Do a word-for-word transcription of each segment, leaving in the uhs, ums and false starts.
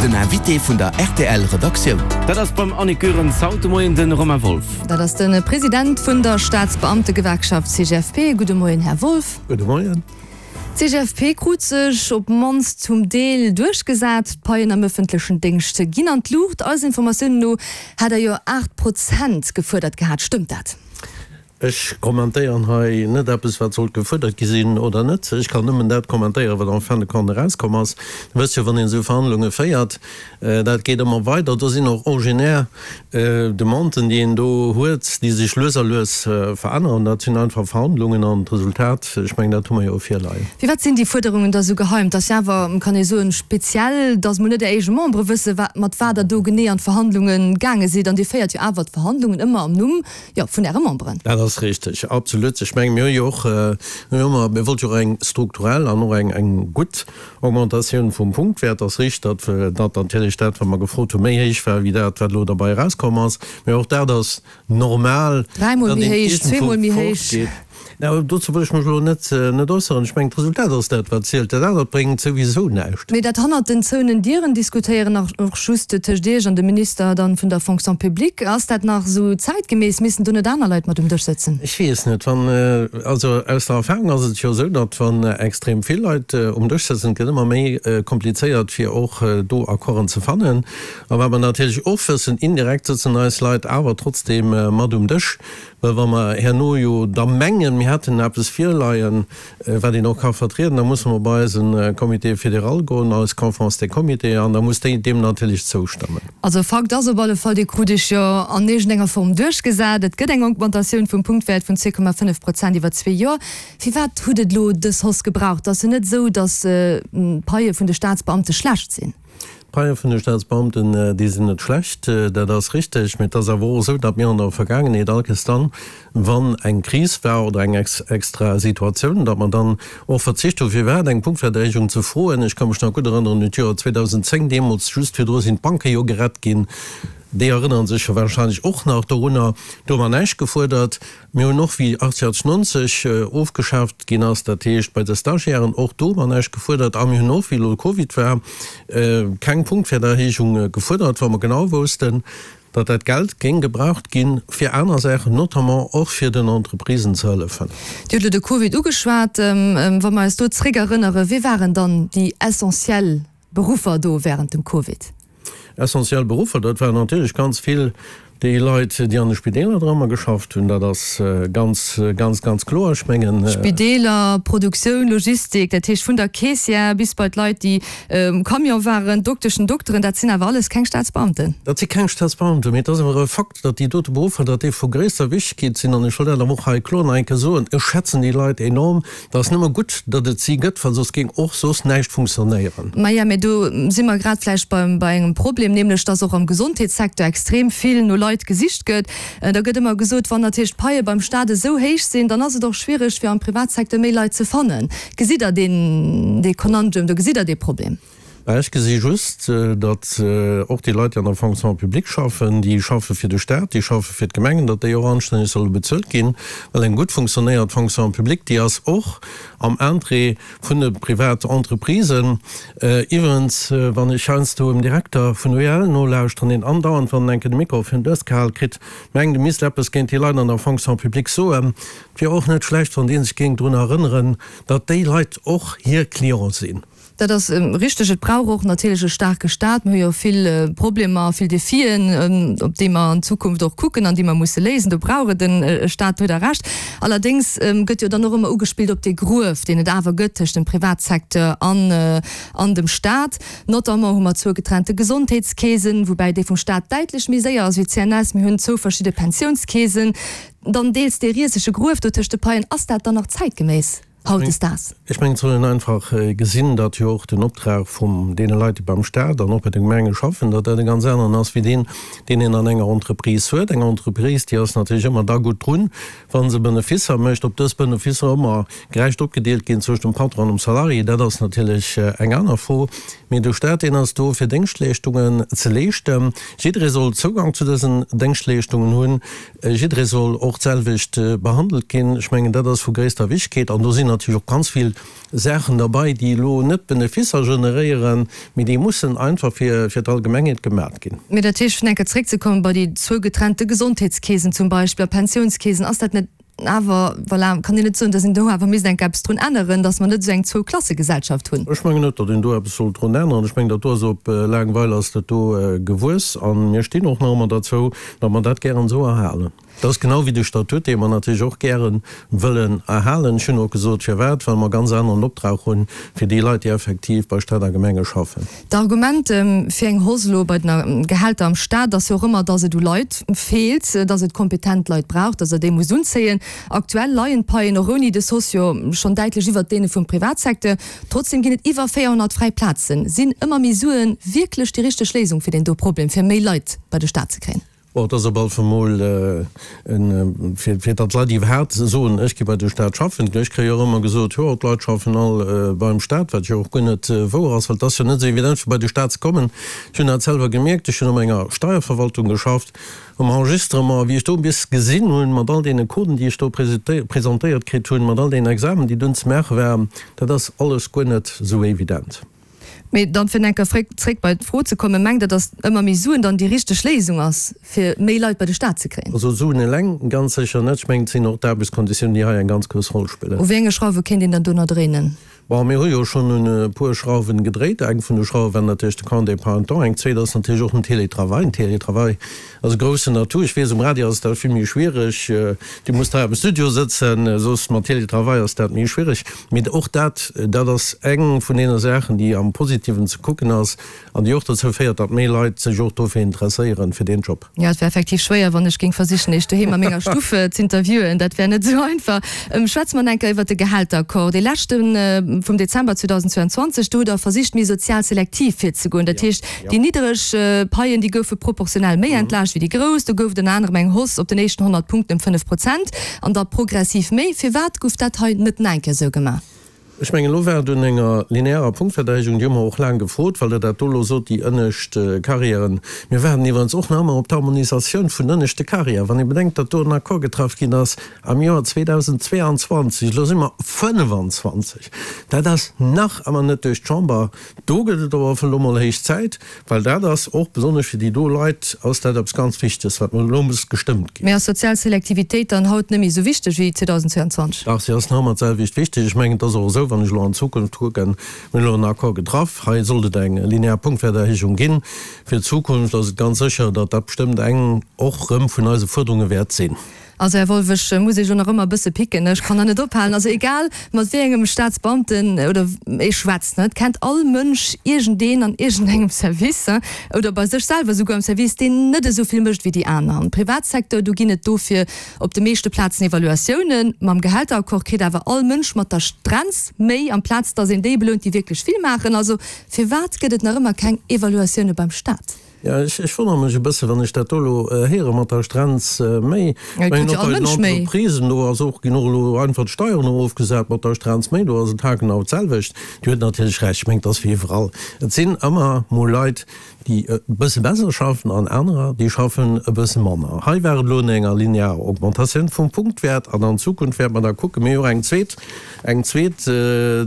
Den Invité vun der R T L Redaktioun. Dat ass beim Annick Goerens haut de Moien de Romain Wolff. Dat ass de President vun der Staatsbeamtegewerkschaft C G F P. Gudde Moien, Här Wolff. Gudde Moien. C G F P krut sech op d'mannst zum Deel duerchgesat. D'Paien am ëffentlechen Déngscht ginn an d'Luucht. Eisen Informatiounen no hat der jo aacht Prozent gefuerdert gehat. Stëmmt dat? Ech kommentéieren hei net eppes, wat sollt gefuerdert gi sinn oder net. Ech kann nëmmen dat kommentéieren, wat en fin de compte erauskomm ass. Du wësst jo, wann een esou Verhandlunge féiert, dat geet ëmmer weider. Do sinn och originaire Demanden, déi een do huet, déi sech lues a lues veränneren. Dat sinn einfach Verhandlungen an d'Resultat, ech mengen, dat hu mer jo virleien. Firwat sinn déi Fuerderungen da sou geheim? Dat ass jo awer, kann ee soen, speziell, datt mol net Är eege Membere wëssen, wat, mat wat Der do genee an d'Verhandlunge gaange sidd. An Dir féiert jo awer d'Verhandlungen ëmmer am Numm, jo, vun Äre Memberen. Dat ass richteg, absolut. Ech mengen, mir hu jo och, mir hu ëmmer, mir wollte jo och eng strukturell an och eng, eng gutt Augmentatioun vum Punktwäert. Ass richteg, datt, datt natierlech dat, wat mer gefrot hu, méi héich war wéi dat, wat elo derbäi erauskomm ass. Mä och dat ass normal, Dräimol datt méi een héich, iergendwou zweemol méi héich. fortgeet. Na, dozou wëll ech mech elo net, net äusseren. Ech mengen, d'Resultat ass dat, wat zielt. Dat anert bréngt souwisou näischt. Mee dat hannert den zouenen Dieren diskutéieren, nach och just tëscht Iech an dem Minister dann vun der Fonction publique, ass dat nach esou zäitgemäss? Missten do net aner Leit mat um Dësch sëtzen? Ech weess net. Wann, also aus der Erfahrung ass et jo esou, datt wann extrem vill Leit um Dësch sëtzen, et gëtt ëmmer méi komplizéiert, fir och do Accorden ze fannen. A wat mer natierlech och wëssen, indirekt sëtzen eis Leit awer trotzdeem mat um Dësch, well wa mer herno jo da mengen, mir hätten eppes virleien, wat een och ka vertrieden, da musse mer bei eise Comité fédéral goen, eis Conférence des Comités, an da muss déi deem natierlech zoustëmmen. Also Fakt ass op alle Fall, Dir krut Iech jo an iergendenger Form duerchgesat. Et gëtt eng Augmentatioun vum Punktwäert vun zwee Komma fënnef Prozent iwwer zwee Joer. Firwat hutt et elo dës Hausse gebraucht? Et ass jo net esou, datt d'Paie vun de Staatsbeamte schlecht sinn. D'Paie vun de Staatsbeamten, déi sinn net schlecht, dat ass richteg. Mee et ass awer och esou, datt mir an der Vergaangenheet all Kéiers dann, wann eng Kris war oder eng extra Situatioun, datt mer dann och verzicht hu firwat eng Punktwäerterhéijung ze froen. Ech ka mech nach gutt erënneren un d'Joer zweedausendzéng, deemools just virdru sinn d'Banke jo gerett ginn. Déi erënnere sech jo warscheinlech och nach dorunner. Do hu mer näischt gefuerdert. Mir hunn och, wéi achtzeghunnertneunzeg ofgeschaaft ginn ass, dat heescht bei de Stagiairen, och do hu mer näischt gefuerdert. A mir hunn och, wéi elo de Covid war, keng Punktwäerterhéijung gefuerdert, well mer genau woussten, datt dat Geld géing gebraucht ginn fir aner Saachen, notamment och fir den Entreprisen ze hëllefen. Dir hutt elo de Covid ugeschwat. Wa mer eis do zréckerënnere, wie waren dann déi essentiell Beruffer do während dem Covid? Essentiell Beruffer, dat waren natierlech ganz vill déi Leit, déi an de Spideeler dran geschafft hunn. Dat ass ganz, ganz, ganz kloer. Ech mengen. Spideeler, Produktioun, Logistik, dat heescht vun der Caissière bis bei d'Leit, déi um Camion waren, Dokteschen, Dokteren, dat sinn awer alles keng Staatsbeamten. Dat si keng Staatsbeamten, mee et ass awer e Fakt, datt déi dote Beruffer, datt déi vu gréisster Wichtegkeet sinn. An ech wëll dat awer och hei kloer nach eng Kéier soen, Ech schätzen déi Leit enorm. Et ass nëmme gutt, datt et si gëtt, well soss géing och soss näischt funktionéieren. Maja, mee do si mer grad vläicht beim, bei engem Problem, nämlech datt och am Gesondheetssecteur extrem vill no Leit gesicht gëtt. Da gëtt ëmmer gesot, wann natierlech d'Paie beim Staat esou héich sinn, dann ass et och schwiereg, fir am Privatsecteur méi Leit ze fannen. Gesitt Der deen, dee Conundrum do? Gesitt Der dee Problem? Mä ech gesi just, datt och déi Leit, déi an der Fonction publique schaffen, déi schaffe fir de Staat, déi schaffe fir d'Gemengen, datt déi och anstänneg solle bezuelt ginn, well eng gutt funktionéiert Fonction publique, déi ass och am Interêt vun de Privatentreprisen. Iwwerens, wann ech heiansdo dem Direkter vun U E L nolauschteren, deen andauernd, wann en eng Kéier de Mikro virun d'Nues gehal kritt, mengt, e misst eppes géint déi Leit an der Fonction publique soen, et wier och net schlecht, wann dee sech géing drun erënneren, datt déi Leit och hir Clienten sinn. Dat ass richteg. Et brauch och natierlech e staarke Staat. Mir hu jo vill Problemer, vill Defien, op déi mer an Zukunft och kucken an déi mer musse léisen. Do brauch et e Staat, do hutt Der Recht. Allerdéngs gëtt jo dann och ëmmer ugespillt op dee Gruef, deen et awer gëtt tëscht dem Privatsecteur an an dem Staat. Notamment hu mer zwou getrennte Gesondheetskeesen, woubäi déi vum Staat däitlech méi séier ass wéi d'C N S. Mir hunn zwou verschidde Pensiounskeesen. Dann deels dee risege Gruef do tëscht de Paien. Ass dat dann nach zäitgeméiss hautdesdaags? Ech mengen, et soll een einfach gesinn, datt jo och den Optrag vum deene Leit, déi beim Staat an och bei de Gemenge schaffen, datt dat e ganz aneren ass wéi deen, deen een an enger Entreprise huet. Eng Entreprise, déi ass natierlech ëmmer da gutt drun, wa se Benefisser mécht. Ob dës Benefisser ëmmer gerecht opgedeelt ginn zwëschent dem Patron an dem Salarié, dat ass natierlech eng aner Fro. Mee de Staat, deen ass do, fir Déngschtleeschtungen ze leeschten. Jidderee soll Zougang zu dësen Déngschtleeschtungen hunn. Jidderee soll och d'selwecht behandelt ginn. Ech mengen, dat ass vu gréisster Wichtegkeet. An do sinn natierlech och ganz vill Saachen derbei, déi elo net Beneficer generéieren, mee déi mussen einfach fir fir d'Allgemengheet gemat ginn. Mee dat heescht, fir eng Kéier zréckzekommen bei déi zwou getrennte Gesondheetskeesen zum Beispill a Pensiounskeesen, ass dat net awer, voilà, kann een net soen, datt een do awer misst eng Kéier eppes drun änneren, datt mer net esou eng Zwou-Klasse-Gesellschaft hunn? Ech mengen net, datt een do eppes sollt drun änneren. Ech mengen, dat do ass op laang Weil ass dat do gewuess a mir stinn och nach ëmmer derzou, datt mer dat gären esou erhalen. Dat ass genau wéi de Statut, dee mer natierlech och gäre wëllen erhalen. Ech hunn och gesot, firwat, well mer e ganz aneren Optrag hunn fir déi Leit, déi effektiv bei Stat a Gemenge schaffen. D'Argument fir eng Hausse elo bei den Gehälter am Stat ass jo och ëmmer, dass et u Leit feelt, dass et kompetent Leit brauch, dass Der déi musst unzéien. Aktuell leien d'Paien och ouni dës Hausse jo schonn däitlech iwwert deene vum Privatsecteur. Trotzdem ginn et iwwer véierhonnert fräi Plazen. Sinn ëmmer méi Suen wierklech déi richteg Léisung fir deen do Problem, fir méi Leit bei de Stat ze kréien? Bon, et ass op alle Fall mol en, fir datt d'Leit iwwerhaapt soen, ech gi bei de Staat schaffen. Ech kréie jo och ëmmer gesot, jo, d'Leit schaffen all beim Staat, wat jo och guer net wouer ass, well et ass jo net esou evident, fir bei de Staat ze kommen. Ech hunn dat selwer gemierkt, ech hunn op enger Steierverwaltung geschafft, um Enregistrement, wéi ech do bis gesinn hunn, mat all deene Coden, déi ech do presentéiert kritt hunn, mat all deenen Examen, déi dunn ze maache waren, dat ass alles guer net esou evident. Mee dann, fir eng Kéier zréck bei d'Fro ze kommen, Mengt Der, datt ëmmer méi Suen dann déi richteg Léisung ass, fir méi Leit bei de Staat ze kréien? Also Suen eleng ganz sécher net. Ech mengen, et sinn och d'Aarbechtskonditiounen, déi hei eng ganz grouss Roll spillen. U wéi enge Schrauwe kéint een dann do nach dréinen? Bon, mir hu jo schonn un e puer Schrauwen gedréit. Eng vun de Schrauwe war natierlech de Congé parental. Eng zweet ass natierlech och den Télétravail. Den Télétravail ass e groussen Atout. Ech weess, um Radio ass dat vill méi schwiereg. Dir musst hei am Studio sëtzen, soss mat Télétravail ass dat méi schwiereg. Mee och dat, dat ass eng vun deene Saachen, déi am Positiven ze kucken ass an déi och dozou féiert, datt méi Leit sech och dofir interesséieren, fir deen Job. Jo, et wär effektiv schwéier, wann ech géing versichen, Iech doheem a menger Stuff z'interviewen. Dat wär net esou einfach. Schwätze mer nach eng Kéier iwwert de Gehälteraccord, dee leschte vum Dezember zweedausendzweianzwanzeg. Do hutt Der versicht, méi sozial selektiv virzegoen. Dat heescht, déi niddereg Paien, déi goufe proportionell méi entlaascht wéi déi grouss. Do gouf et ënner anerem eng Hausse op den éischten honnert Punkten ëm fënnef Prozent an da progressiv méi. Firwat gouf dat hei net nach eng Kéier esou gemaach? Ech mengen, elo war et un enger linearer Punktverdeilung, déi hu mer och laang gefrot, well Der dat do elo sot, déi ënnescht Carrièren. Mir waarden iwwerens och nach ëmmer op d'Harmonisatioun vun den ënneschte Carrièren. Wann ee bedenkt, datt do en Accord getraff ginn ass am Joer zweedausendzweeanzwanzeg, elo si mer fënnefan-zwanzeg, dat ass nach ëmmer net duerch d'Chamber. Do gëtt et awer elo mol héich Zäit, well dat ass och besonnesch fir déi do Leit ass dat eppes ganz Wichteges, wat elo muss gestëmmt ginn. Mee ass sozial Selektivitéit dann haut net méi esou wichteg wéi zweedausendzweianzwanzeg? Dach, si ass nach ëmmer d'selwecht wichteg. Ech mengen, et ass och esou, wann ech elo an d'Zukunft kucken, mir hunn elo en Accord getraff, hei sollt et eng linear Punktwäerterhéijung ginn. Fir d'Zukunft ass et ganz sécher, datt dat bestëmmt eng och erëm vun eise Fuerderunge wäert sinn. Also, Här Wolff, ech muss Iech elo nach ëmmer e bësse picken, ech kann der net ophalen. Also egal mat wéi engem Staatsbeamten oder ee schwätzt, et kennt all Mënsch iergendeen an iergendengem Service oder bei sech selwer esouguer am Service, deen net esou vill mécht wéi déi aner. Am Privatsecteur, do ginn et dofir op de meeschte Plazen Evaluatiounen. Mam Gehälteraccord kritt awer all Mënsch mat der Strenz méi, amplaz datt een déi belount, déi wierklech vill maachen. Also firwat gëtt et nach ëmmer keng Evaluatioune beim Staat? Jo, ech wonnere mech e bësse wann ech dat do elo héiere mat der Strenz méi. Ech mengen och bei den Entreprisen, do ass och, ginn och elo einfach d'Steieren erofgesat mat der Strenz méi, do ass et haargenau d'selwecht. Dir huet natierlech Recht, ech mengen, et ass wéi iwwerall, et sinn ëmmer mol Leit, déi e bësse besser schaffen an anerer, déi schaffen e bësse manner. Hei war et elo no enger linearer Augmentatioun vum Punktwäert an an Zukunft wäerte mer da kucken. Mir hu jo och eng zweet, eng zweet,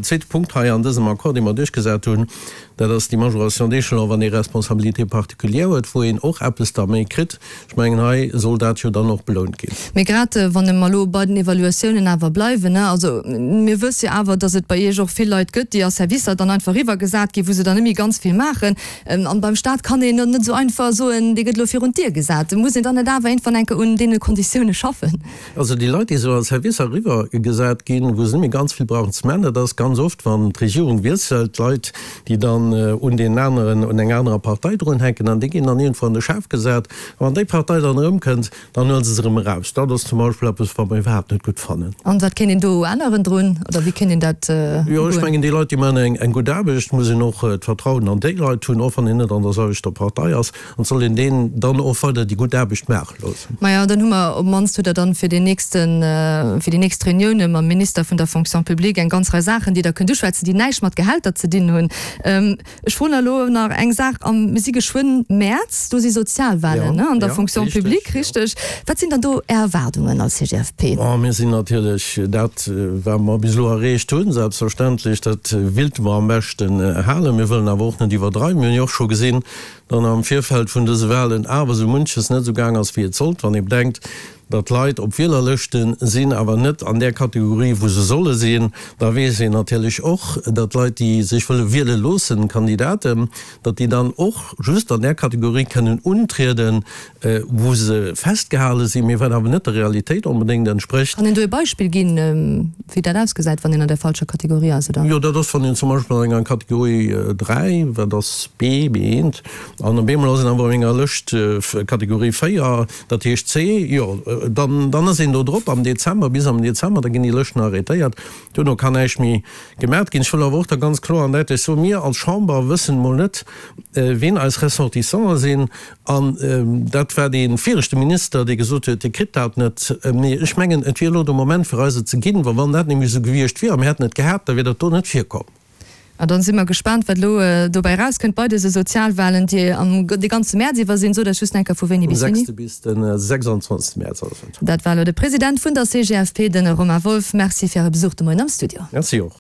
zweete Punkt hei an dësem Accord, dee mer duerchgesat hunn, dat ass déi Majoration d'échelon, wann ee Responsabilité particulière huet, wou een och eppes da méi kritt. Ech mengen, hei soll dat jo dann och belount ginn. Mee grad wann mer elo bei den Evaluatiounen awer bleiwen, ne, also mir wësse jo awer, datt et bei Iech och vill Leit gëtt, déi a Servicer dann einfach eriwwergesat ginn, wou se dann net méi ganz vill maachen. An beim Staat kann een net esou einfach soen, dee gëtt elo virun d'Dier gesat. Muss een dann net awer iergendwann eng Kéier un deene Konditioune schaffen? Also déi Leit, déi esou a Servicer eriwwergesat ginn, wou se net méi ganz vill brauchen ze maachen, dat ass ganz oft, wann d'Regierung wiesselt, Leit, déi dann un deen aneren, un eng anerer Partei drunhänken an déi ginn dann iergendwou an de Schaf gesat. A wann déi Partei dann erëmkënnt, dann huele se se erëm eraus. Dat ass zum Beispill eppes, wat mer iwwerhaapt net gutt fannen. An wat kéint een do änneren drun oder wéi kéint een dat Jo, ech ugoen? mengen, déi Leit, déi maachen eng gutt Aarbecht. Et muss een och d'Vertrauen an déi Leit hunn, och wann een net an der selwechter Partei ass, an et soll een deen dann och weider déi gutt Aarbecht maache loossen. Majo, dann hu mer op d'mannst hutt Der dann fir deen nächsten, fir déi nächst Reunioune mam Minister vun der Fonction publique eng ganz Rei Saachen, déi Der kënnt uschwätzen, déi näischt mat Gehälter ze dinn hunn. Ech froen elo nach eng Saach, am, mir si geschwënn Mäerz, do si Sozialwahlen, ne, an der Fonction publique, richteg? Wat sinn dann do Är Erwaardungen als CGFP? Bon, mir sinn natierlech dat, wat mer bis elo erreecht hunn, selbstverständlech, dat willte mer am beschten halen. Mir wëllen awer och net iwwerdreiwen. Mir hunn jo och scho gesinn, datt am Virfeld vun dëse Wahlen awer esou munches net esou gaang ass, wéi et sollt, wann ee bedenkt, datt Leit op Wielerlëschte sinn, awer net an där Kategorie, wou se solle sinn. Da weess een natierlech och, datt Leit, déi sech wëlle wiele loossen, Kandidaten, datt déi dann och just an där Kategorie kënnen untrieden, wou se festgehale sinn, mee wat awer net der Realitéit onbedéngt entsprécht. Kann een do e Beispill ginn, wéi dat ausgesäit, wann een an der falscher Kategorie ass, oder? Jo, dat ass, wann een zum Beispill an enger Kategorie dräi, wat ass B, B eent, an op eemol ass een awer an enger Lëscht Kategorie véier, dat heescht C, jo, dann, dann ass een do drop am Dezember, bis am Dezember, da ginn déi Lëschten arrêtéiert, duerno kann näischt méi gemaacht ginn. Ech wëll awer och da ganz kloer an däitlech soen, Mir als Chamber wëssen emol net, wien eis Ressortissanten sinn. An dat war dee viregte Minister, dee gesot huet, Dir kritt dat net. Mee ech mengen, et wier elo de Moment fir eis et ze ginn, well wann dat nämlech esou gewiescht wier a mir hätten et gehat, da wier dat do net virkomm. An dann si mer gespaant, wat elo dobäi erauskënnt bei dëse Sozialwahlen, déi am de ganze Mäerz iwwer sinn. Sot eis just eng Kéier, vu wéini bis wéini? Vum sechste bis de sechsundzwanzegste Mäerz ass et. Dat war elo de President vun der C G F P, de Romain Wolff. Merci fir Äre Besuch de Moien am Studio. Merci och.